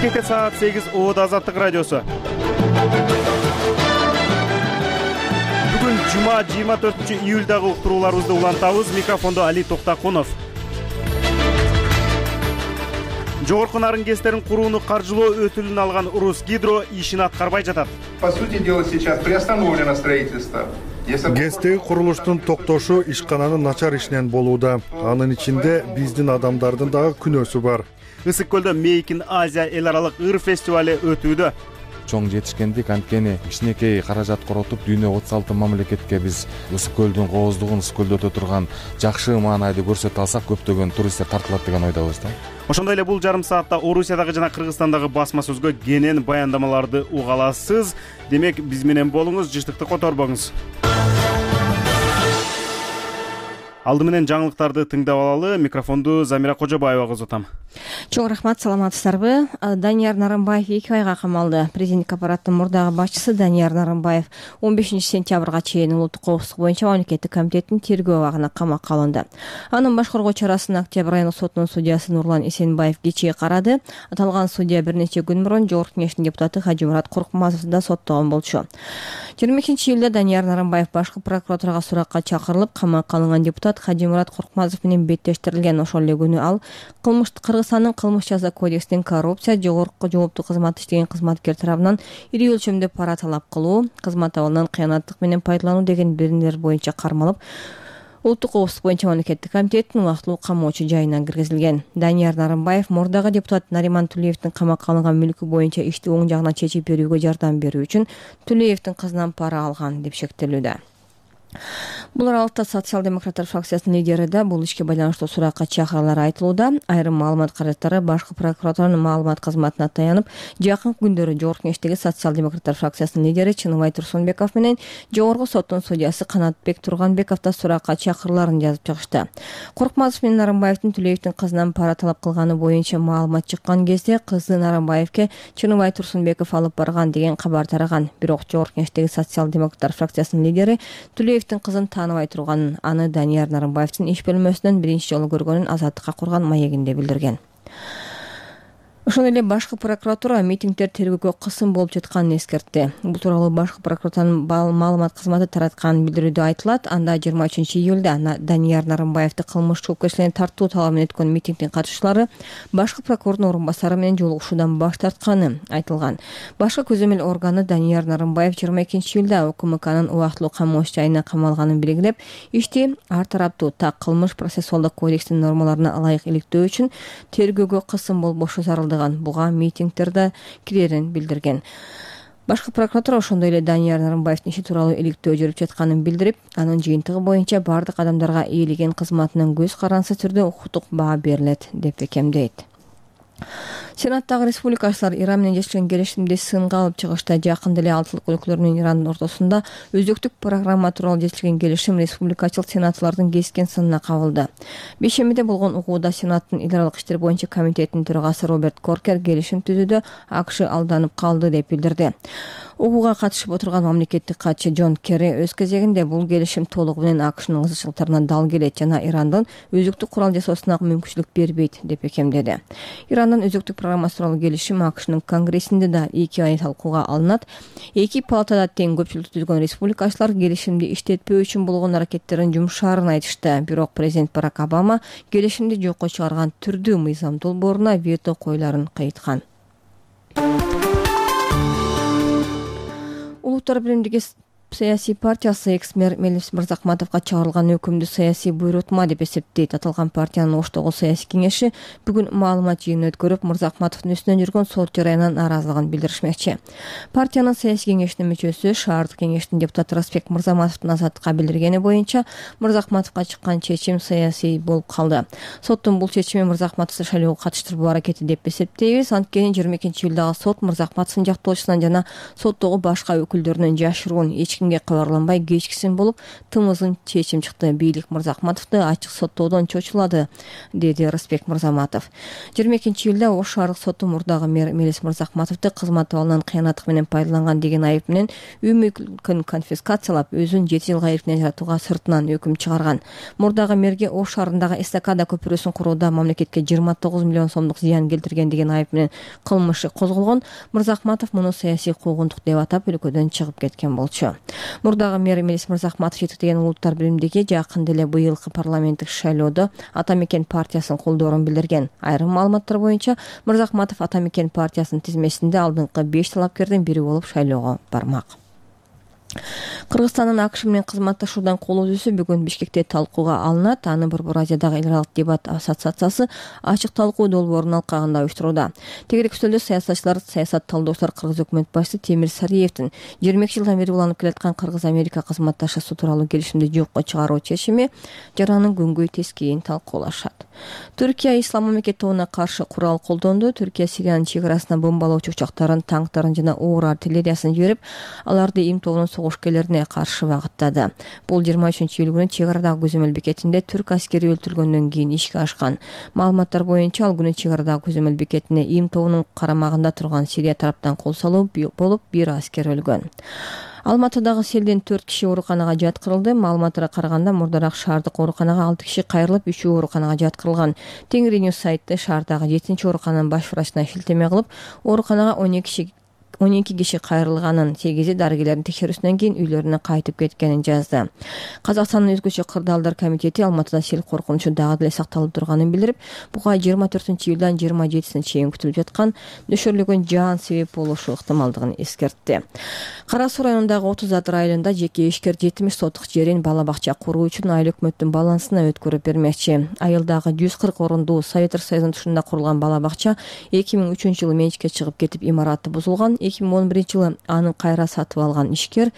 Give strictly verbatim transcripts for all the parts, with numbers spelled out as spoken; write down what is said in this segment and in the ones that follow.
Бишкекте саат сегиз Оодо Азаттык радиосу. Бүгүн жума жыйырма төртүнчү июлдагы уктурууларыбызды улантабыз. Микрофондо Али Токтакунов. Жогорку Нарын КЭСтерин курууну каржылоо өтүлүн алган Русгидро ишин аткарбай жатат. По сути дела, сейчас приостановлено строительство. КЭСтеги курулуштун токтошу ишкананын начар ишинен болууда. Анын ичинде биздин адамдардын дагы күнөөсү бар. Ысык көлдө Мейкин Азия эл аралык ыр фестивали өтүүдө. Чоң жетишкендик, анткени кичинекей каражат коротуп дүйнө отуз алты мамлекетке биз Ысык көлдүн кооздугун, Ысык көлдө өтө турган жакшы маанайды көрсөтө алсак, көптөгөн туристтер тартылат деген ойдобуз да. Ошондой эле бул жарым саатта Орусиядагы жана Кыргызстандагы басма сөзгө кенен баяндамаларды уга аласыз. Демек, биз менен болуңуз, жыштыкты которбоңуз. Алды менен жаңылыктарды тыңдап алалы. Микрофонду Замира Кожобаевага узатам. Чоң рахмат, саламатсыздарбы? Данияр Нарымбаев эки айга камалды. Президенттик аппараттын мурдагы башчысы Данияр Нарымбаев он бешинчи сентябрга чейин улуттук коопсуздук боюнча мамлекеттик комитеттин тергөө абагына камакка алынды. Анын башкаргуу чарасын Октябрь айылык сотунун судьясы Нурлан Эсенбаев кечээ карады. Аталган судья бир нече күн мурун Жогорку Кеңештин депутаты Хажимурат Коркмазовду да соттогон болчу. жыйырма экинчи июлда Данияр Нарымбаев башкы прокуратурага суракка чакырылып, камакка алынган депутат Хажимурат Коркмазов менен беттештирилген. Ошол эле күнү ал кылмыш Кыргызстандын кылмыш жаза кодексинин коррупция, жогорку жооптуу кызмат иштеген кызматкер тарабынан ири өлчөмдө пара талап кылуу, кызмат абалынан кыянаттык менен пайдалануу деген беренелер боюнча кармалып, улуттук коопсуздук боюнча мамлекеттик комитеттин убактылуу камоочу жайына киргизилген. Данияр Нарымбаев мурдагы депутат Нариман Тулеевдин камакка алынган мүлкү боюнча ишти оң жагынан чечип берүүгө жардам берүү үчүн Тулеевдин кызынан пара алган деп шектелүүдө. Бул аралыкта социал-демократтар фракциясынын лидери да бул ишке байланыштуу суракка чакыралары айтылууда. Айрым маалымат каражаттары башкы прокуратуранын маалымат кызматына таянып, жакынкы күндөрү Жогорку Кеңештеги социал-демократтар фракциясынын лидери Чыныбай Турсунбеков менен Жогорку соттун судьясы Канатбек Турганбеков да суракка чакырууларын жазып чыгышты. Коркмазов менен Нарымбаевдин Тулеевдин кызынан пара талап кылганы боюнча маалымат чыккан кезде кызы Нарымбаевке Чыныбай Турсунбеков алып барган деген кабар тараган. Бирок Жогорку Кеңештеги социал-демократтар фракциясынын лидери Тулеевдин кызын тааныбай турганын, аны Данияр Нарымбаевдин иш бөлмөсүнөн биринчи жолу көргөнүн Азаттыкка курган маегинде билдирген. Ошондой эле башкы прокуратура митингдер тергөөгө кысым болуп жатканын эскертти. Бул тууралуу башкы прокуратуранын маалымат кызматы тараткан билдирүүдө айтылат. Анда жыйырма үчүнчү июлда Данияр Нарымбаевди кылмыш жоопкерчиликке тартуу талабы менен өткөн митингдин катышчылары башкы прокурордун орун басары менен жолугушуудан баш тартканы айтылган. Башкы көзөмөл органы Данияр Нарымбаев жыйырма экинчи июлда УКМКнын убактылуу камооч жайына камалганын белгилеп, ишти ар тараптуу так кылмыш процессуалдык кодекстин нормаларына ылайык иликтөө үчүн тергөөгө кысым болбошу зарыл буга митингдерде кирерин билдирген. Башкы прокуратура ошондой эле Данияр Нарымбаевдин иши тууралуу иликтөө жүрүп жатканын билдирип, анын жыйынтыгы боюнча бардык адамдарга ээлеген кызматынын көз карансыз түрдө укуктук баа берилет деп бекемдейт. Сенаттагы республикачылар Иран менен жекшелген келишимди сынга алып чыгышта. Жакында эле Алтылык өлкөлөр менен Ирандын ортосунда өзөктүк программа тууралуу жекшелген келишим республикачыл сенатчылардын кескен сынына кабылды. Бейшембиде болгон угууда Сенаттын эл аралык иштер боюнча комитетинин төрагасы Роберт Коркер келишим түзүүдө АКШ алданып калды деп билдирди. Угууга катышып отурган мамлекеттик катчы Джон Керри өз кезегинде бул келишим толугу менен АКШнын ызычылыктарына дал келет жана Ирандын өзөктүк курал жасоосуна мүмкүнчүлүк бербейт деп бекемдеди. Ирандын өзөктүк программасы тууралуу келишим АКШнын конгрессинде да эки ай талкууга алынат. Эки палатада тең көпчүлүктү түзгөн республикачылар келишимди иштетпөө үчүн болгон аракеттерин жумшаарын айтышты. Бирок президент Барак Обама келишимди жокко чыгарган түрдүү мыйзам долбооруна вето коюларын кайыткан. Улуттар биримдиги саясий партиясы экс-мэр Мелис Мырзахматовго чыгарылган өкүмдү саясий буйрутма деп эсептейт. Аталган партиянын Оштогу саясий кеңеши бүгүн маалымат жыйынын өткөрүп, Мырзахматовдун үстүнөн жүргөн сот жарыянан нааразылыгын билдиришмекчи. Партиянын саясий кеңешинин мүчөсү, шаардык кеңештин депутаты Расбек Мырзаматовдун Азаттыкка билдиргени боюнча Мырзахматовго чыккан чечим саясий болуп калды. Соттун бул чечими Мырзахматовду шайлоого катыштырбоо аракети деп эсептейбиз. Анткени жыйырма экинчи июлдагы сот Мырзахматовдун жактоочусунан жана соттогу башка өкүлдөрүнөн жашыруун эч кимге кабарланбай кечкисин болуп тымызын чечим чыкты. Бийлик Мырзахматовду ачык соттоодон чочулады, деди Рысбек Мырзаматов. жыйырма экинчи июлда Ош шаардык соту мурдагы мэр Мелис Мырзахматовду кызмат абалынан кыянаттык менен пайдаланган деген айып менен үй мүлкүн конфискациялап, өзүн жети жылга эркинен жатууга сыртынан өкүм чыгарган. Мурдагы мэрге Ош шаарындагы эстакада көпүрөсүн курууда мамлекетке жыйырма тогуз миллион сомдук зыян келтирген деген айып менен кылмыш козголгон. Мырзахматов муну саясий куугунтук деп атап өлкөдөн чыгып кеткен болчу. Мурдагы мэр Мелис Мырзахматов жетектеген улуттар биримдиги жакында эле быйылкы парламенттик шайлоодо Ата Мекен партиясын колдоорун билдирген. Айрым маалыматтар боюнча Мырзахматов Ата Мекен партиясынын тизмесинде алдыңкы беш талапкердин бири болуп шайлоого бармак. Кыргызстандын АКШ менен кызматташуудан кол үзүүсү бүгүн Бишкекте талкууга алынат. Аны Борбор Азиядагы эл аралык дебат ассоциациясы ачык талкуу долбоорунун алкагында уюштурууда. Тегерек стөлдө саясатчылар, саясат талдоочулар Кыргыз өкмөт башчысы Темир Сариевдин жыйырма эки жылдан бери уланып келаткан Кыргыз-Америка кызматташуусу тууралуу келишимди жокко чыгаруу чечими жаранын күнгөй тескейин талкуулашат. Түркия ислам мамлекет тобуна каршы курал колдонду. Түркия Сириянын чек арасына бомбалоочу учактарын, танктарын жана оор артиллериясын жиберип, аларды Им тобунун согушкерлерине каршы багыттады. Бул жыйырма үчүнчү июль күнү чек арадагы көзөмөл бекетинде түрк аскери өлтүрүлгөндөн кийин ишке ашкан. Маалыматтар боюнча ал күнү чек арадагы көзөмөл бекетине Им тобунун карамагында турган Сирия тараптан кол салуу болуп бир аскер өлгөн. Алматыдагы селден төрт киши ооруканага жаткырылды. Маалыматтарга караганда мурдараак шаардык ооруканага алты киши кайрылып, үчөө ооруканага жаткырылган. Тенгриньюс сайты шаардагы жетинчи оорукананын баш врачына шилтеме кылып, ооруканага он эки киши он эки киши кайрылганын, сегизи дарыгерлердин текшерүүсүнөн кийин үйлөрүнө кайтып кеткенин жазды. Казакстандын өзгөчө кырдаалдар комитети Алматыда сел коркунучу дагы деле сакталып турганын билдирип, буга жыйырма төртүнчү июлдан жыйырма жетисине чейин күтүлүп жаткан нөшөрлөгөн жаан себеп болушу ыктымалдыгын эскертти. Кара Суу районундагы отуз Атыр айылында жеке ишкер жетимиш сотук жерин бала бакча куруу үчүн айыл өкмөттүн балансына өткөрүп бермекчи. Айылдагы жүз кырк орундуу Советтер Союзунун тушунда курулган бала бакча эки миң үчүнчү жылы менчикке чыгып кетип, имараты бузулган. эки миң он биринчи жылы аны кайра сатып алган ишкер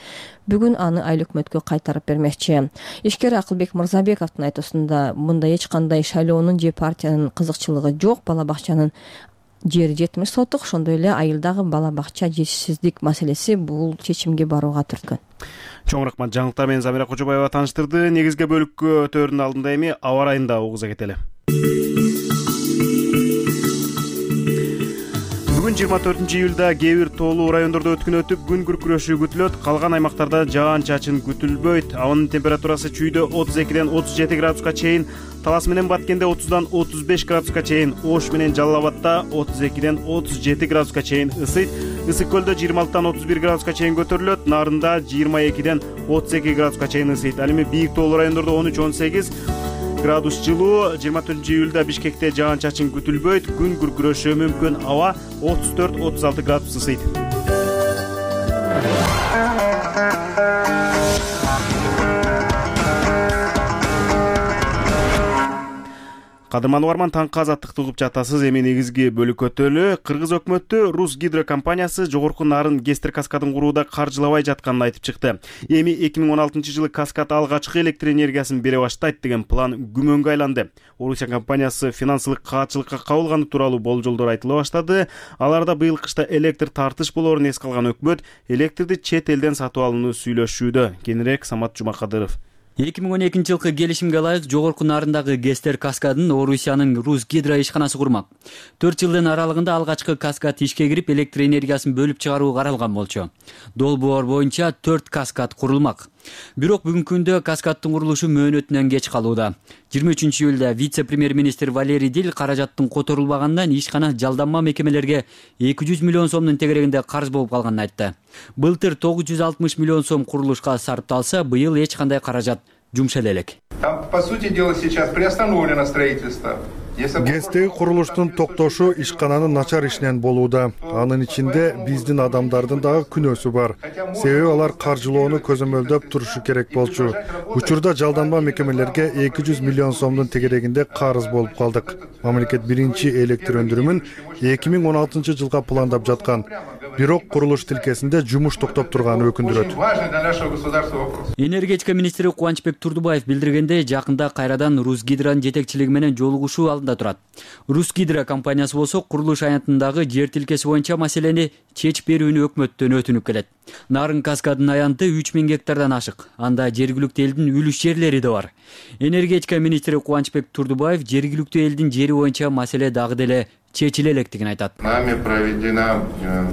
бүгүн аны айыл өкмөткө кайтарып бермекчи. Ишкер Акылбек Мырзабековдун айтуусунда мында эч кандай шайлоонун же партиянын кызыкчылыгы жок. Бала бакчанын жери жетимиш сотук, ошондой эле айылдагы бала бакча жетишсиздик маселеси бул чечимге барууга түрткөн. Чоң рахмат. Жаңылыктар менен Замира Кожобаева тааныштырды. Негизги бөлүккө өтөөрдүн алдында эми аба ырайында угуза кетели. Бүгүн жыйырма төртүнчү июлда кээ бир тоолуу райондордо өткүн өтүп, күн күркүрөшү күтүлөт. Калган аймактарда жаан-чачын күтүлбөйт. Абанын температурасы чүйдө отуз экиден отуз жети градуска чейин, Талас менен Баткенде отуздан отуз беш градуска чейин, Ош менен Жалал Абадта отуз экиден отуз жети градуска чейин ысыйт. Ысык көлдө жыйырма алтыдан отуз бир градуска чейин көтөрүлөт. Нарында жыйырма экиден отуз эки градуска чейин ысыйт. Ал эми бийик тоолуу райондордо он үч он сегиз градус жылуу. жыйырма төртүнчү июлда Бишкекте жаан-чачын күтүлбөйт. Күн күркүрөшү мүмкүн. Аба отуз төрт отуз алты градус ысыйт. Кадырман угарман, таңкы азаттыкты угуп жатасыз. Эми негизги бөлүк өтөлү. Кыргыз өкмөтү Рус гидро компаниясы жогорку нарын Гестер каскадын курууда каржылабай жатканын айтып чыкты. Эми эки миң он алтынчы жылы каскад алгачкы электр энергиясын бере баштайт деген план күмөнгө айланды. Орусия компаниясы финансылык каатчылыкка кабылганы тууралуу болжолдор айтыла баштады. Аларда быйыл кышта электр тартыш болоорун эске алган өкмөт электрди чет элден сатып алууну сүйлөшүүдө. Кененирээк Самат Жумакадыров. эки миң он экинчи жылкы келишимге ылайык жогорку нарындагы Гестер каскадын Орусиянын Рус гидро ишканасы курмак. төрт жылдын аралыгында алгачкы каскад ишке кирип, электр энергиясын бөлүп чыгаруу каралган болчу. Долбоор боюнча төрт каскад курулмак. Бирок бүгүнкү күндө каскаддын курулушу мөөнөтүнөн кеч калууда. жыйырма үчүнчү июлда вице-премьер-министр Валерий Дил каражаттын которулбагандан ишкана жалданма мекемелерге эки жүз миллион сомдун тегерегинде карыз болуп калганын айтты. Былтыр тогуз жүз алтымыш миллион сом курулушка сарпталса, быйыл эч кандай каражат жумшале элек. Там, по сути дела, сейчас приостановлено строительство. Гестеги курулуштун токтошу ишкананын начар ишинен болууда. Анын ичинде биздин адамдардын дагы күнөөсү бар. Себеби алар каржылоону көзөмөлдөп турушу керек болчу. Учурда жалданма мекемелерге эки жүз миллион сомдун тегерегинде карыз болуп калдык. Мамлекет биринчи электр өндүрүмүн эки миң он алтынчы жылга пландап жаткан. Бирок курулуш тилкесинде жумуш токтоп турганы өкүндүрөт. Энергетика министри Кубанычбек Турдубаев билдиргендей, жакында кайрадан Рус гидронун жетекчилиги менен жолугушуу аймагында турат. Русгидро компаниясы болсо курулуш аянтындагы жер тилкеси боюнча маселени чечип берүүнү өкмөттөн өтүнүп келет. Нарын каскадынын аянты үч миң гектардан ашык. Анда жергиликтүү элдин үлүш жерлери да бар. Энергетика министри Кубанычбек Турдубаев жергиликтүү элдин жери боюнча маселе дагы деле чечиле электигин айтат. Нами проведена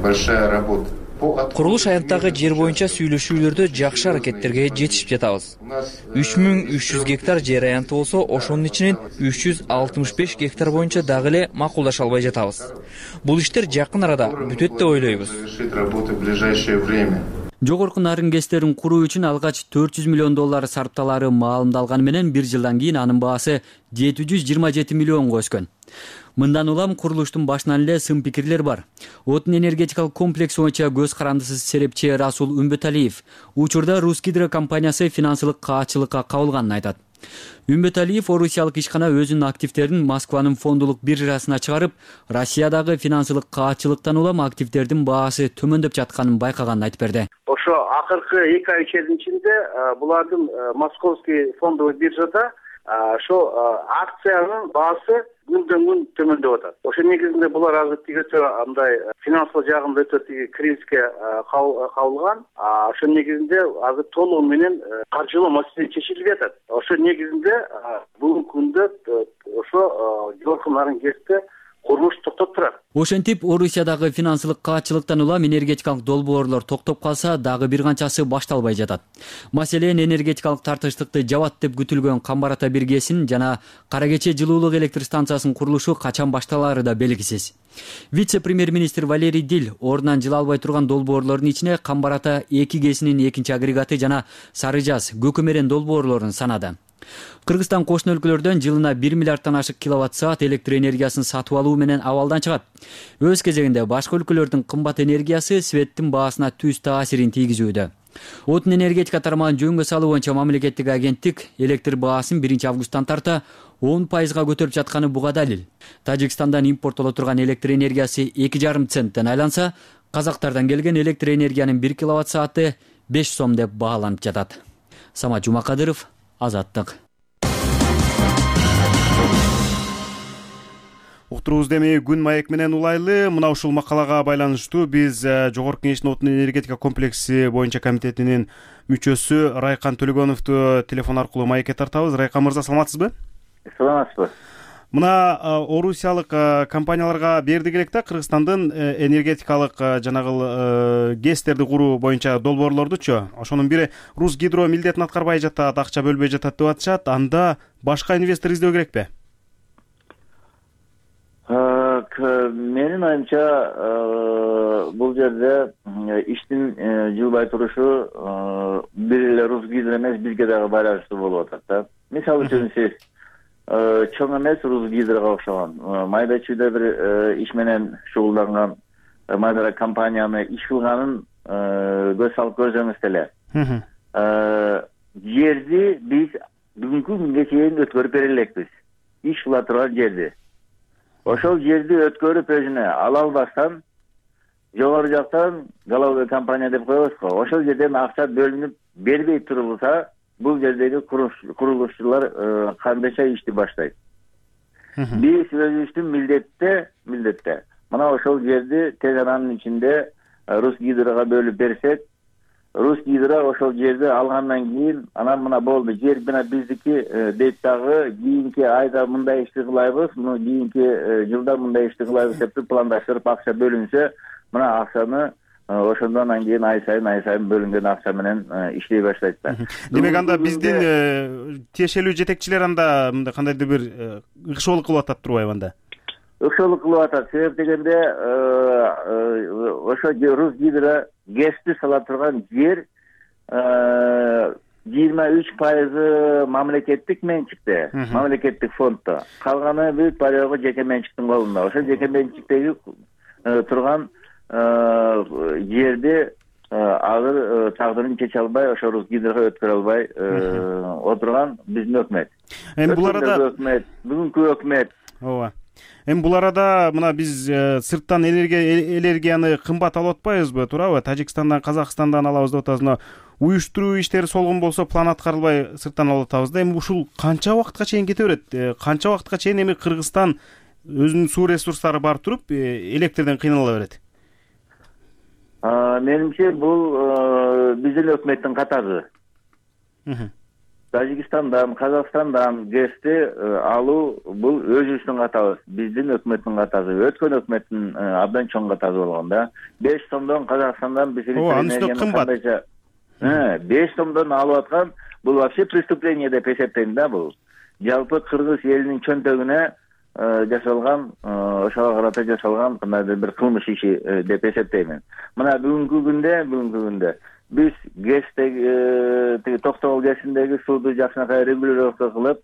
большая работа. Курулуш аянттагы жер боюнча сүйлөшүүлөрдө жакшы аракеттерге жетишип жатабыз. үч миң үч жүз гектар жер аянты болсо, ошонун ичинен үч жүз алтымыш беш гектар боюнча дагы эле макулдаша албай жатабыз. Бул иштер жакын арада бүтөт деп ойлойбуз. Жогорку нарын гэстерин куруу үчүн алгач төрт жүз миллион доллар сарпталары маалымдалганы менен бир жылдан кийин анын баасы жети жүз жыйырма жети миллионго өскөн. Мындан улам курулуштун башынан эле сын пикирлер бар. Отун энергетикалык комплекс боюнча көз карандысыз серепчи Расул Үмбөталиев учурда Русгидро компаниясы финансылык каачылыкка кабылганын айтат. Үмбөталиев орусиялык ишкана өзүнүн активдерин Москванын фондулук биржасына чыгарып, Россиядагы финансылык каачылыктан улам активдердин баасы төмөндөп жатканын байкаганын айтып берди. Ошо акыркы эки ай ичерисинде булардын Московский фондовый биржада ошо акциянын баасы күндөн күн төмөндөп атат. Ошо негизинде булар азыр тигече андай финансылык жагында өтө тиги кризиске кабылган. Ошо негизинде азыр толугу менен каржылоо маселеси чечилип жатат. Ошо негизинде бүгүнкү күндө ошо жогорку нарын гэсте курулуш токтоп турат. Ошентип, Орусиядагы финансылык каачылыктан улам энергетикалык долбоорлор токтоп калса, дагы бир канчасы башталбай жатат. Маселен, энергетикалык тартыштыкты жабат деп күтүлгөн Камбар Ата биргесин жана Кара Кече жылуулук электр станциясынын курулушу качан башталаары да белгисиз. Вице-премьер-министр Валерий Дил ордунан жыла албай турган долбоорлордун ичине Камбар Ата эки гэсинин экинчи агрегаты жана Сары Жаз, Көкөмерен долбоорлорун санады. Кыргызстан кошуна өлкөлөрдөн жылына бир миллиарддан ашык киловатт саат электр энергиясын сатып алуу менен абалдан чыгат. Өз кезегинде башка өлкөлөрдүн кымбат энергиясы светтин баасына түз таасирин тийгизүүдө. Отун энергетика тармагын жөнгө салуу боюнча мамлекеттик агенттик электр баасын биринчи августтан тарта он пайызга көтөрүп жатканы буга далил. Тажикстандан импорттоло турган электр энергиясы эки жарым центтен айланса, казактардан келген электр энергиянын бир киловатт сааты беш сом деп бааланып жатат. Самат Жумакадыров, Азаттык. Уктуруубузду эми күн маек менен улайлы. Мына ушул макалага байланыштуу биз Жогорку Кеңештин отун энергетика комплекси боюнча комитетинин мүчөсү Райкан Төлөгөновду телефон аркылуу маекке тартабыз. Райкан мырза, саламатсызбы? Саламатсызбы. Мына орусиялык компанияларга бердик элек да Кыргызстандын энергетикалык жанагы гэстерди куруу боюнча долбоорлордучу. Ошонун бири Русгидро милдетин аткарбай жатат, акча бөлбөй жатат деп атышат. Анда башка инвестор издөө керекпи? Менин оюмча бул жерде иштин жылбай турушу бир эле Русгидро эмес, бизге дагы байланыштуу болуп атат да. Мисалы үчүн сиз чоң эмес Русгидрого окшогон майда чүйдө бир иш менен шугулданган майда компанияны иш кылганын көз салып көрсөңүз деле. Жерди биз бүгүнкү күнгө чейин өткөрүп бере элекпиз. Иш кыла турган жерди. Ошол жерди өткөрүп өзүнө ала албастан жогору жактан головой компания деп коебуз го. Ошол жерден акча бөлүнүп бербей турулса, бул жердеги курулушчулар кандайча ишти баштайт? Биз өзүбүздүн милдетте, милдетте. Мына ошол жерди тез аранын ичинде Русгидрого бөлүп берсек, Русгидро ошол жерди алгандан кийин анан мына болду, жер мына биздики дейт дагы кийинки айда мындай ишти кылайбыз, муну кийинки жылда мындай ишти кылайбыз деп пландаштырып акча бөлүнсө, мына акчаны ошондон кийин ай сайын ай сайын бөлүнгөн акча менен иштей баштайт да. Демек анда биздин тиешелүү жетекчилер анда мындай кандайдыр бир ыкшоолук кылып атат турбайбы анда? Ыкшоолук кылып атат. Себеп дегенде ошо Русгидро гэсти сала турган жер жыйырма үч пайызы мамлекеттик менчикте, мамлекеттик фонддо. Калганы бүт барыгы жеке менчиктин колунда. Ошо жеке менчиктеги турган жерди азыр тагдырын чече албай, ошо Русгидрого өткөрө албай отурган биздин өкмөт. Эми бул арада өкмөт, бүгүнкү өкмөт ооба. Эми бул арада мына биз сырттан энергияны кымбат алып атпайбызбы, туурабы? Тажикстандан, Казакстандан алабыз деп атабыз. Уюштуруу иштери солгон болсо план аткарылбай сырттан алып атабыз да. Эми ушул канча убакытка чейин кете берет? Канча убакытка чейин эми Кыргызстан өзүнүн суу ресурстары бар туруп электрден кыйнала берет? Менимче бул биздин өкмөттүн катары. Тажикстандан, Казакстандан гэсти алуу бул өзүбүздүн катабыз, биздин өкмөттүн катары. Өткөн өкмөттүн абдан чоң катары болгон да. беш сомдон Казакстандан биз энергияны беш сомдон алып аткан, бул вообще преступление деп эсептейм да бул. Жалпы Кыргыз элинин чөнтөгүнө жасалган, ошого карата жасалган кандайдыр бир кылмыш иши деп эсептеймин. Мына бүгүнкү күндө, бүгүнкү күндө биз гэстеги Токтогул гэсиндеги сууду жакшынакай регулировка кылып,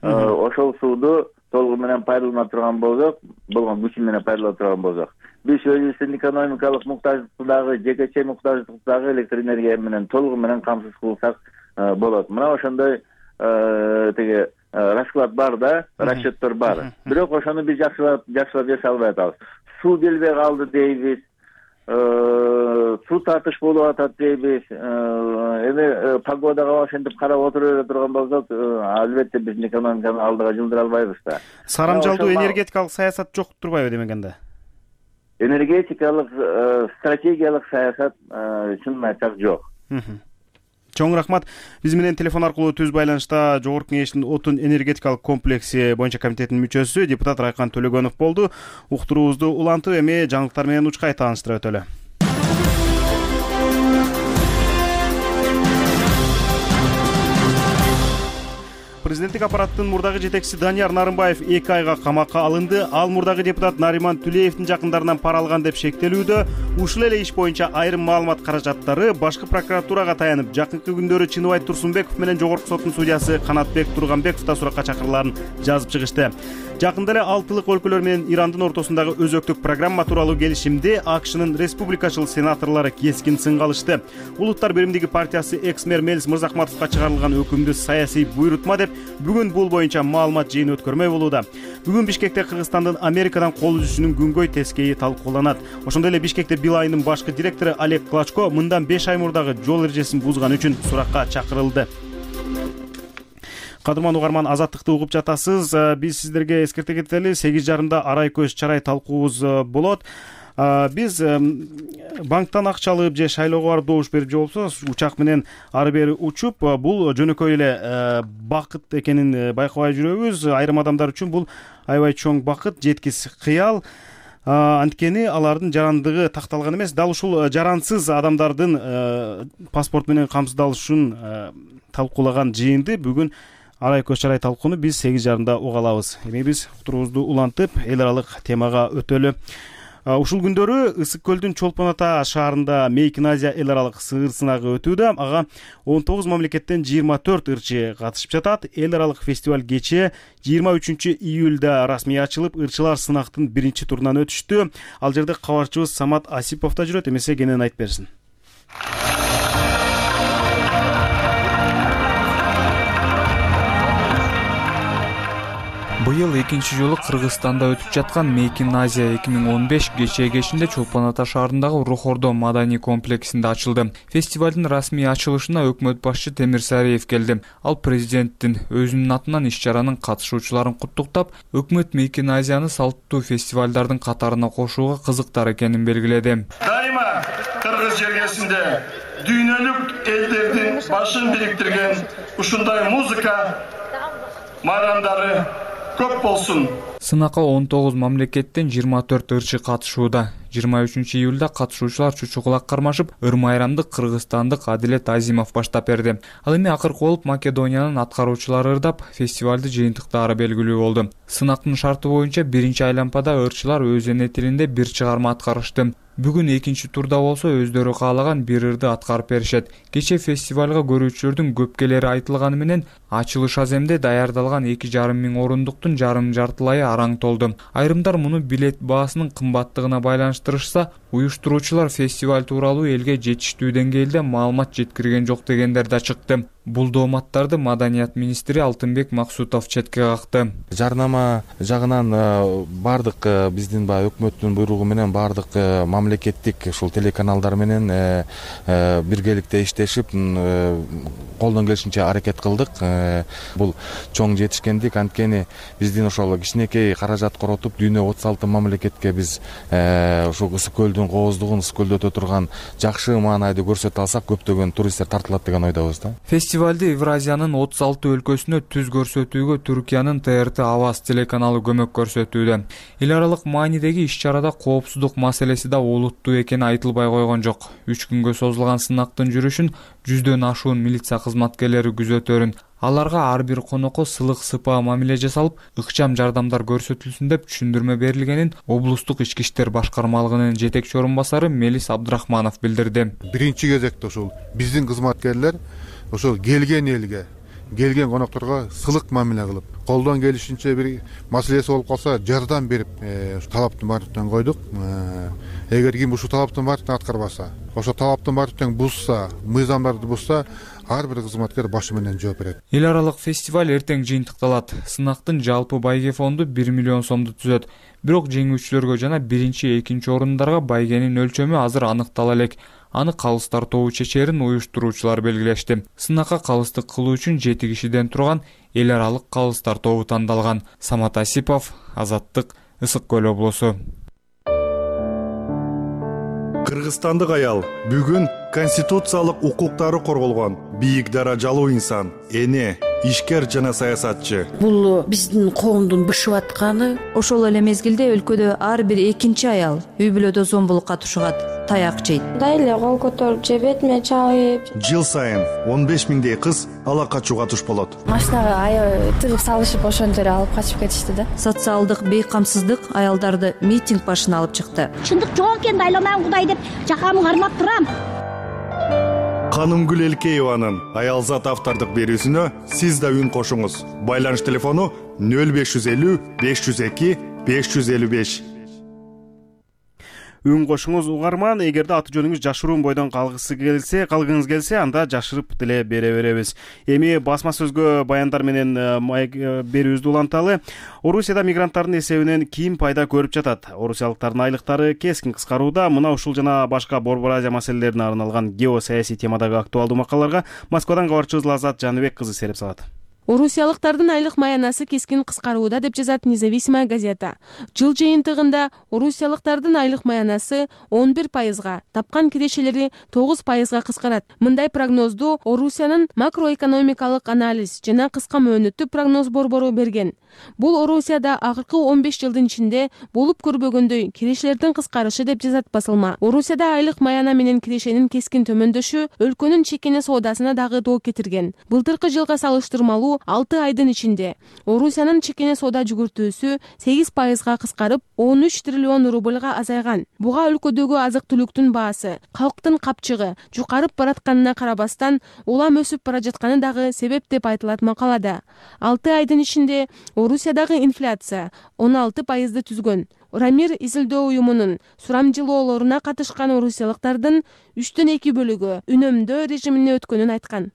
ошол сууду толугу менен пайдалана турган болсок, болгон күчү менен пайдалана турган болсок, биз өзүбүздүн экономикалык муктаждыктагы, жекече муктаждыктагы электр энергия менен толугу менен камсыз кылсак болот. Мына ошондой тиги расклад бар да, расчеттер бар. Бирок ошону биз жакшылап жакшылап жасай албай атабыз. Суу келбей калды дейбиз. Суу татыш болуп атат дейбиз. Эми погодага ошентип карап отура турган болсок, албетте биздин экономиканы алдыга жылдыра албайбыз да. Сарамжалдуу энергетикалык саясат жок турбайбы демегенде? Энергетикалык стратегиялык саясат чынын айтсак жок. Чоң рахмат. Биз менен телефон аркылуу түз байланышта Жогорку Кеңештин отун энергетикалык комплекси боюнча комитетинин мүчөсү депутат Райкан Төлөгөнов болду. Уктуруубузду улантып, эми жаңылыктар менен учкай тааныштыра өтөлү. Президенттик аппараттын мурдагы жетекчиси Данияр Нарымбаев эки айга камакка алынды. Ал мурдагы депутат Нариман Түлеевдин жакындарынан пара алган деп шектелүүдө. Ушул эле иш боюнча айрым маалымат каражаттары башкы прокуратурага таянып, жакынкы күндөрү Чыныбай Турсунбеков менен Жогорку соттун судьясы Канатбек Турганбеков да суракка чакырыларын жазып чыгышты. Жакында эле алтылык өлкөлөр менен Ирандын ортосундагы өзөктүк программа тууралуу келишимди АКШнын республикачыл сенаторлору кескин сынга алышты. Улуттар биримдиги партиясы экс-мэр Мелис Мырзахматовго чыгарылган өкүмдү саясий буйрутма деп бүгүн бул боюнча маалымат жыйын өткөрмөй болууда. Бүгүн Бишкекте Кыргызстандын Америкадан кол үзүшүнүн күнгөй тескейи талкууланат. Ошондой эле Бишкекте Билайнын башкы директору Олег Клочко мындан беш ай мурдагы жол эрежесин бузган үчүн суракка чакырылды. Кадырман угарман, азаттыкты угуп жатасыз. Биз сиздерге эскерте кетели, сегиз жарымда арай көз чарай талкуубуз болот. Биз банктан акча алып же шайлоого барып добуш берип же болбосо учак менен ары бери учуп, бул жөнөкөй эле бакыт экенин байкабай жүрөбүз. Айрым адамдар үчүн бул аябай чоң бакыт, жеткис кыял. Анткени алардын жарандыгы такталган эмес. Дал ушул жарансыз адамдардын паспорт менен камсыздалышын талкуулаган жыйынды бүгүн арай көз чарай талкууну биз сегиз жарымда уга алабыз. Эми биз уктуруубузду улантып, эл аралык темага өтөлү. Ушул күндөрү Ысык көлдүн Чолпон Ата шаарында Мейкин Азия эл аралык сыгыр сынагы өтүүдө. Ага он тогуз мамлекеттен жыйырма төрт ырчы катышып жатат. Эл аралык фестиваль кечээ жыйырма үчүнчү июлда расмий ачылып, ырчылар сынактын биринчи турунан өтүштү. Ал жерде кабарчыбыз Самат Асипов да жүрөт, эмесе кенен айтып берсин. Быйыл экинчи жолу Кыргызстанда өтүп жаткан Мейкин Азия эки миң он беш кечээ кечинде Чолпон Ата шаарындагы Рухордо маданий комплексинде ачылды. Фестивалдын расмий ачылышына өкмөт башчы Темир Сариев келди. Ал президенттин өзүнүн атынан иш-чаранын катышуучуларын куттуктап, өкмөт Мейкин Азияны салттуу фестивалдардын катарына кошууга кызыктар экенин белгиледи. Дайыма Кыргыз жергесинде дүйнөлүк элдердин башын бириктирген ушундай музыка майрамдары көп болсун. Сынакка он тогуз мамлекеттен жыйырма төрт ырчы катышууда. жыйырма үчүнчү июлда катышуучулар чучугулак кармашып, ыр майрамды кыргызстандык Адилет Азимов баштап берди. Ал эми акыркы болуп Македониянын аткаруучулары ырдап, фестивалды жыйынтыктаары белгилүү болду. Сынактын шарты боюнча биринчи айлампада ырчылар өз эне тилинде бир чыгарма аткарышты. Бүгүн экинчи турда болсо өздөрү каалаган бир ырды аткарып беришет. Кечээ фестивалга көрүүчүлөрдүн көп келери айтылганы менен ачылыш аземде даярдалган эки жарым миң орундуктун жарым жартылайы араң толду. Айрымдар муну билет баасынын кымбаттыгына байланыштырышса, уюштуруучулар фестиваль тууралуу элге жетиштүү деңгээлде маалымат жеткирген жок дегендер да чыкты. Бул дооматтарды маданият министри Алтынбек Максутов четке какты. Жарнама жагынан бардык биздин баягы өкмөттүн буйругу менен бардык мамлекеттик ушул телеканалдар менен биргеликте иштешип колдон келишинче аракет кылдык. Бул чоң жетишкендик, анткени биздин ошол кичинекей каражат коротуп дүйнө отуз алты мамлекетке биз ушул Ысык көлдүн кооздугун, Ысык көлдө өтө турган жакшы маанайды көрсөтө алсак, көптөгөн туристтер тартылат деген ойдобуз да. Фестивалды Евразиянын отуз алты өлкөсүнө түз көрсөтүүгө Түркиянын Т Р Т Аваз телеканалы көмөк көрсөтүүдө. Эл аралык маанидеги иш-чарада коопсуздук маселеси да олуттуу экени айтылбай койгон жок. Үч күнгө созулган сынактын жүрүшүн жүздөн ашуун милиция кызматкерлери күзөтөрүн. Аларга ар бир конокко сылык сыпаа мамиле жасалып, ыкчам жардамдар көрсөтүлсүн деп түшүндүрмө берилгенин облустук ички иштер башкармалыгынын жетекчи орун басары Мелис Абдрахманов билдирди. Биринчи кезекте ушул биздин кызматкерлер ошол келген элге, келген конокторго сылык мамиле кылып, колдон келишинче бир маселеси болуп калса жардам берип, талаптын баарын койдук. Эгер ким ушул талаптын баарын аткарбаса, ошо талаптын баарын бузса, мыйзамдарды бузса, ар бир кызматкер башы менен жооп берет. Эл аралык фестиваль эртең жыйынтыкталат. Сынактын жалпы байге фонду бир миллион сомду түзөт. Бирок жеңүүчүлөргө жана биринчи, экинчи орундарга байгенин өлчөмү азыр аныктала элек. Аны калыс тартуу чечерин уюштуруучулар белгилешти. Сынакка калыстык кылуу үчүн жети кишиден турган эл аралык калыс тартуу тандалган. Самат Асипов, Азаттык, Ысык көл облусу. Кыргызстандык аял бүгүн конституциялык укуктары корголгон бийик даражалуу инсан, эне, ишкер жана саясатчы. Бул биздин коомдун бышып атканы. Ошол эле мезгилде өлкөдө ар бир экинчи аял үй бүлөдө зомбулукка тушугат, таяк жейт. Дайле кол көтөрүп же бетиме чабып. Жыл сайын он беш миңдей кыз ала качууга туш болот. Машинага аябай тыгып салышып ошентип алып качып кетишти да. Социалдык бейкамсыздык аялдарды митинг башына алып чыкты. Чындык жок экен, айланам Кудай деп жакамы кармап турам. Канымгүл Элкееванын аялзат автордук берүүсүнө сиз да үн кошуңуз. Байланыш телефону нөл беш жүз элүү беш жүз эки беш жүз элүү беш. Үн кошуңуз угарман. Эгерде аты жөнүңүз жашыруун бойдон калгысы келсе, калгыңыз келсе, анда жашырып деле бере беребиз. Эми басма сөзгө баяндар менен берүүбүздү уланталы. Орусияда мигранттардын эсебинен ким пайда көрүп жатат? Орусиялыктардын айлыктары кескин кыскарууда. Мына ушул жана башка Борбор Азия маселелерине арналган геосаясий темадагы актуалдуу макалаларга Москвадан кабарчыбыз Лазат Жаныбек кызы сереп салат. Орусиялыктардын айлык маянасы кескин кыскарууда деп жазат Независимая газета. Жыл жыйынтыгында орусиялыктардын айлык маянасы он бир пайызга, тапкан кирешелери тогуз пайызга кыскарат. Мындай прогнозду Орусиянын макроэкономикалык анализ жана кыска мөөнөттүү прогноз борбору берген. Бул Орусияда акыркы он беш жылдын ичинде болуп көрбөгөндөй кирешелердин кыскарышы деп жазат басылма. Орусияда айлык маяна менен кирешенин кескин төмөндөшү өлкөнүн чекене соодасына дагы доо кетирген. Былтыркы жылга салыштырмалуу алты айдын ичинде Орусиянын чекене соода жүгүртүүсү сегиз пайызга кыскарып, он үч триллион рубльга азайган. Буга өлкөдөгү азык-түлүктүн баасы, калктын капчыгы жукарып баратканына карабастан улам өсүп бара жатканы дагы себеп деп айтылат макалада. алты айдын ичинде Орусиядагы инфляция он алты пайызды түзгөн. Рамир изилдөө уюмунун сурамжылоолоруна катышкан орусиялыктардын үчтөн эки бөлүгү үнөмдөө режимине өткөнүн айткан.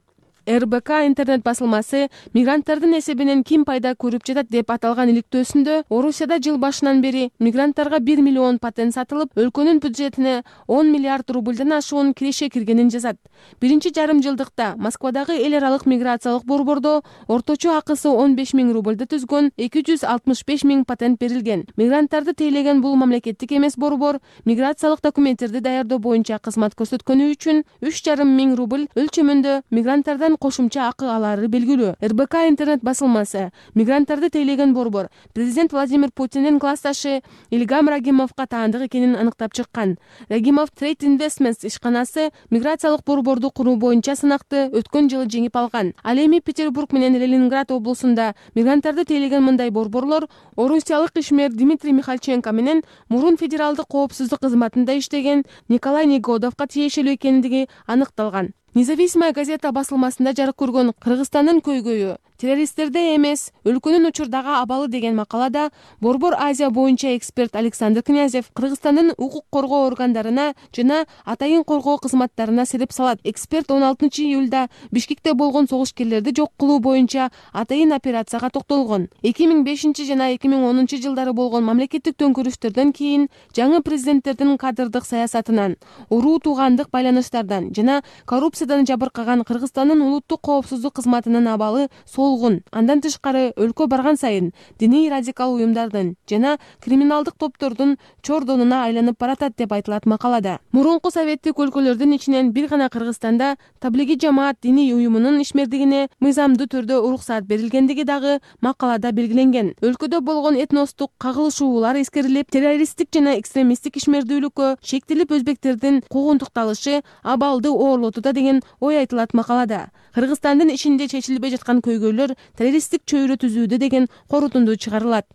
эр бэ ка интернет басылмасы мигранттардын эсебинен ким пайда көрүп жатат деп аталган иликтөөсүндө Орусияда жыл башынан бери мигранттарга бир миллион патент сатылып, өлкөнүн бюджетине он миллиард рубльдан ашуун киреше киргенин жазат. Биринчи жарым жылдыкта Москвадагы эл аралык миграциялык борбордо орточо акысы он беш миң рубльды түзгөн эки жүз алтымыш беш миң патент берилген. Мигранттарды тейлеген бул мамлекеттик эмес борбор миграциялык документтерди даярдоо боюнча кызмат көрсөткөнү үчүн үч жарым миң рубль өлчөмүндө мигранттардан кошумча акы алары белгилүү. эр бэ ка интернет басылмасы мигранттарды тейлеген борбор президент Владимир Путиндин классташы Илгам Рагимовго таандык экенин аныктап чыккан. Рагимов Trade Investments ишканасы миграциялык борборду куруу боюнча сынакты өткөн жылы жеңип алган. Ал эми Петербург менен Ленинград облусунда мигранттарды тейлеген мындай борборлор орусиялык ишмер Дмитрий Михальченко менен мурун федералдык коопсуздук кызматында иштеген Николай Негодовго тиешелүү экендиги аныкталган. Независимая газета басылмасында жарык көргөн Кыргызстандын көйгөйү террористтерде эмес, өлкөнүн учурдагы абалы деген макалада Борбор Азия боюнча эксперт Александр Князев Кыргызстандын укук коргоо органдарына жана атайын коргоо кызматтарына сереп салат. Эксперт он алтынчы июлда Бишкекте болгон согушкерлерди жок кылуу боюнча атайын операцияга токтолгон. эки миң бешинчи жана эки миң онунчу жылдары болгон мамлекеттик төңкөрүштөрдөн кийин жаңы президенттердин кадрдык саясатынан, уруу туугандык байланыштардан жана коррупциядан жабыркаган Кыргызстандын улуттук коопсуздук кызматынын абалы солгун. Андан тышкары өлкө барган сайын диний радикал уюмдардын жана криминалдык топтордун чордонуна айланып баратат деп айтылат макалада. Мурунку советтик өлкөлөрдүн ичинен бир гана Кыргызстанда таблиги жамаат диний уюмунун ишмердигине мыйзамдуу түрдө уруксат берилгендиги дагы макалада белгиленген. Өлкөдө болгон этностук кагылышуулар эскерилип, террористтик жана экстремисттик ишмердүүлүккө шектелип өзбектердин куугунтукталышы абалды оорлотуда деген ой айтылат макалада. Кыргызстандын ичинде чечилбей жаткан көйгөйлөр террористтик чөйрө түзүүдө деген корутунду чыгарылат.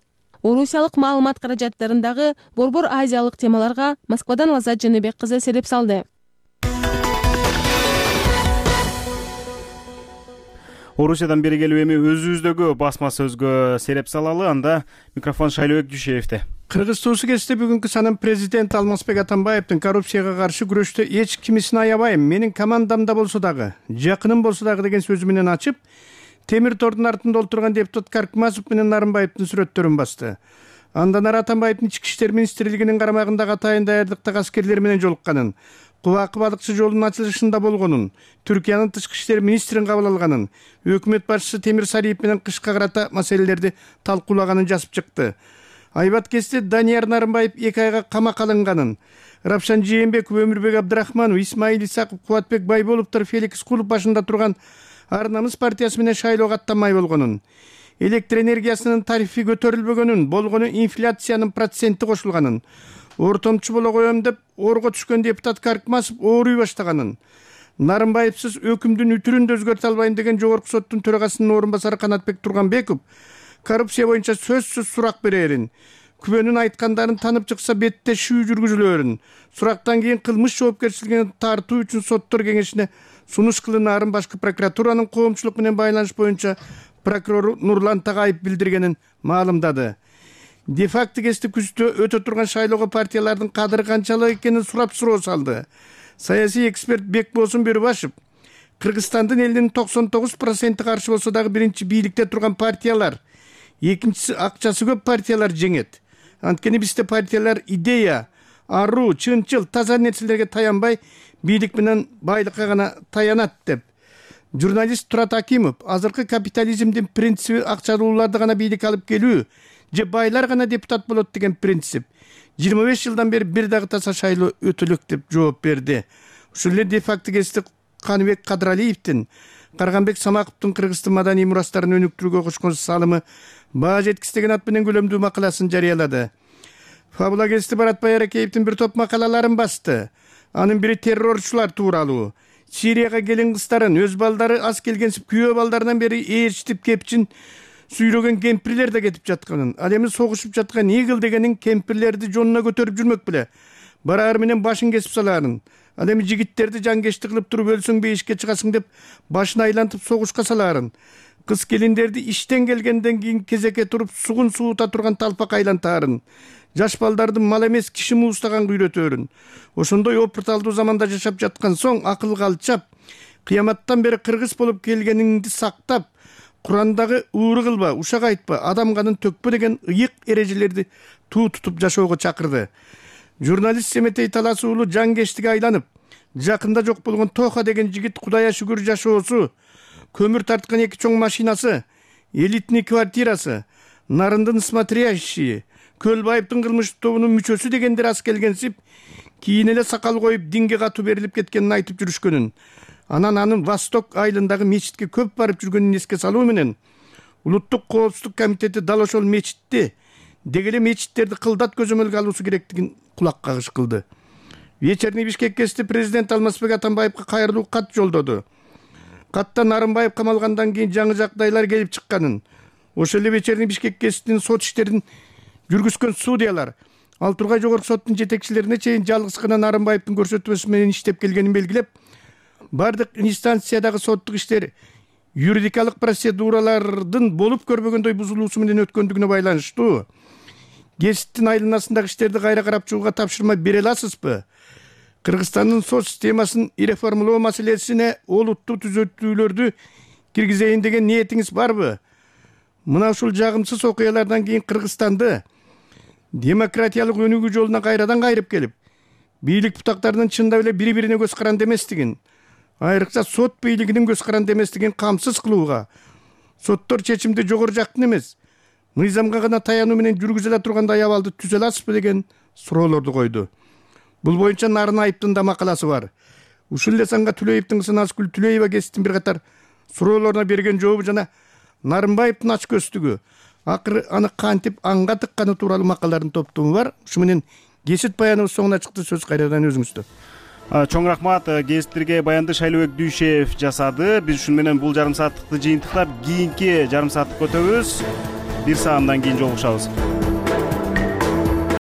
Орусиялык маалымат каражаттарындагы борбор азиялык темаларга Москвадан Лазат Жаныбек кызы сереп салды. Орусиядан бери келип эми өзүбүздөгү басма сөзгө сереп салалы. Анда микрофон Шайлообек Дүйшеевде. Кыргыз туусу кесте бүгүнкү санын президент Алмазбек Атамбаевдин коррупцияга каршы күрөштө эч кимисин аябайм, менин командамда болсо дагы, жакыным болсо дагы деген сөзү менен ачып, темир тордун артында отурган депутат Каркмазов менен Нарымбаевдин сүрөттөрүн басты. Андан ары Атамбаевдин ички иштер министрлигинин карамагындагы атайын даярдыктагы аскерлер менен жолукканын, Кубакы балыкчы жолунун ачылышында болгонун, Түркиянын тышкы иштер министрин кабыл алганын, өкмөт башчысы Темир Сариев менен кышка карата маселелерди талкуулаганын жазып чыкты. Айбат кесте Данияр Нарымбаев эки айга камакка алынганын, Рапшан Жээнбеков, Өмүрбек Абдрахманов, Исмаил Исаков, Кубатбек Байболовдор Феликс Кулов башында турган Ар намыс партиясы менен шайлоого аттанмай болгонун, электр энергиясынын тарифи көтөрүлбөгөнүн, болгону инфляциянын проценти кошулганын, ортомчу боло коем деп орго түшкөн депутат Каркмазов ооруй баштаганын, Нарымбаевсыз өкүмдүн үтүрүн да өзгөртө албайм деген жогорку соттун төрагасынын орун басары Канатбек Турганбеков коррупция боюнча сөзсүз сурак берерин, күбөнүн айткандарын танып чыкса бетте шүү жүргүзүлөрүн, сурактан кийин кылмыш жоопкерчилигине тартуу үчүн соттор кеңешине сунуш кылынаарын башкы прокуратуранын коомчулук менен байланыш боюнча прокурор Нурлан Тагайып билдиргенин маалымдады. Де факто кесте күздө өтө турган шайлоого партиялардын кадыры канчалык экенин сурап суроо салды. Саясий эксперт Бекболсун Бөрүбашев Кыргызстандын элинин токсон тогуз проценти каршы болсо дагы биринчи бийликте турган партиялар, экинчиси акчасы көп партиялар жеңет. Анткени бизде партиялар идея, аруу, чынчыл, таза нерселерге таянбай, бийлик менен байлыкка гана таянат деп. Журналист Турат Акимов азыркы капитализмдин принциби акчалууларды гана бийликке алып келүү, же байлар гана депутат болот деген принцип. жыйырма беш жылдан бери бир дагы таза шайлоо өтөлөк деп жооп берди. Ушул эле де факто кесте Каныбек Кадралиевдин Карганбек Самаковдун Кыргыздын маданий мурастарын өнүктүрүүгө кошкон салымы баа жеткис деген ат менен көлөмдүү макаласын жарыялады. Фабула кесте Баратбай Аракеевдин бир топ макалаларын басты. Анын бири террорчулар тууралуу. Сирияга келин кыздарын, өз балдары аз келгенсип күйөө балдарынан бери ээрчитип кепчин сүйрөгөн кемпирлер да кетип жатканын, ал эми согушуп жаткан Игл дегенин кемпирлерди жонуна көтөрүп жүрмөк беле. Бараар менен башын кесип салаарын. Ал эми жигиттерди жангешти кылып туруп өлсөң бейишке чыгасың деп башын айлантып согушка салаарын. Кыз келиндерди иштен келгенден кийин кезекке туруп сугун суута турган талпак айлантаарын. Жаш балдарды мал эмес киши муустаганга үйрөтөөрүн. Ошондой опурталдуу заманда жашап жаткан соң акылга алчап, кыяматтан бери кыргыз болуп келгениңди сактап, Курандагы ууру кылба, ушак айтпа, адам канын төкпө деген ыйык эрежелерди туу тутуп жашоого чакырды. Журналист Семетей Талас уулу жангештиге айланып, жакында жок болгон Тоха деген жигит Кудайга шүгүр жашоосу, көмүр тарткан эки чоң машинасы, элитный квартирасы, Нарындын смотрящие, Көлбаевдин кылмыш тобунун мүчөсү дегендер аз келгенсип, кийин эле сакал коюп динге катуу берилип кеткенин айтып жүрүшкөнүн. Анан анын Восток айылындагы мечитке көп барып жүргөнүн эске салуу менен Улуттук коопсуздук комитети дал ошол мечитти деги эле мечиттерди кылдат көзөмөлгө алуусу керектигин кулак кагыш кылды. Вечерний Бишкек кесте президент Алмазбек Атамбаевга кайрылуу кат жолдоду. Катта Нарымбаев камалгандан кийин жаңы жагдайлар келип чыкканын, ошол эле Вечерний Бишкек кестинин сот иштерин жүргүзгөн судьялар Ал Тургай жогорку соттун жетекчилерине чейин жалгыз гана Нарымбаевдин көрсөтмөсү менен иштеп келгенин белгилеп, бардык инстанциядагы соттук иштер юридикалык процедуралардын болуп көрбөгөндөй бузулуусу менен өткөндүгүнө байланыштуу кесиптин айланасындагы иштерди кайра карап чыгууга тапшырма бере аласызбы? Кыргызстандын сот системасын реформалоо маселесине олуттуу түзөтүүлөрдү киргизейин деген ниетиңиз барбы? Мына ушул жагымсыз окуялардан кийин Кыргызстанды демократиялык өнүгүү жолуна кайрадан кайрып келип, бийлик бутактарынын чындап эле бири-бирине көз каранды эместигин, айрыкча сот бийлигинин көз каранды эместигин камсыз кылууга, соттор чечимди жогору жактын эмес, мыйзамга гана таянуу менен жүргүзүлө тургандай абалды түзө аласызбы деген суроолорду койду. Бул боюнча Нарын Айыптын да макаласы бар. Ушул эле санга Түлөевдин кызы Назгүл Түлөева кесиптин бир катар суроолоруна берген жообу жана Нарымбаевдин ач көздүгү, акыры аны кантип аңга тыкканы тууралуу макалалардын топтому бар. Ушу менен кесип баяныбыз соңуна чыкты. Сөз кайрадан өзүңүздө. Чоң рахмат. Кесиптерге баянды Шайлообек Дүйшев жасады. Биз ушун менен бул жарым сааттыкты жыйынтыктап, кийинки жарым сааттыкка өтөбүз. Бир саамдан кийин жолугушабыз.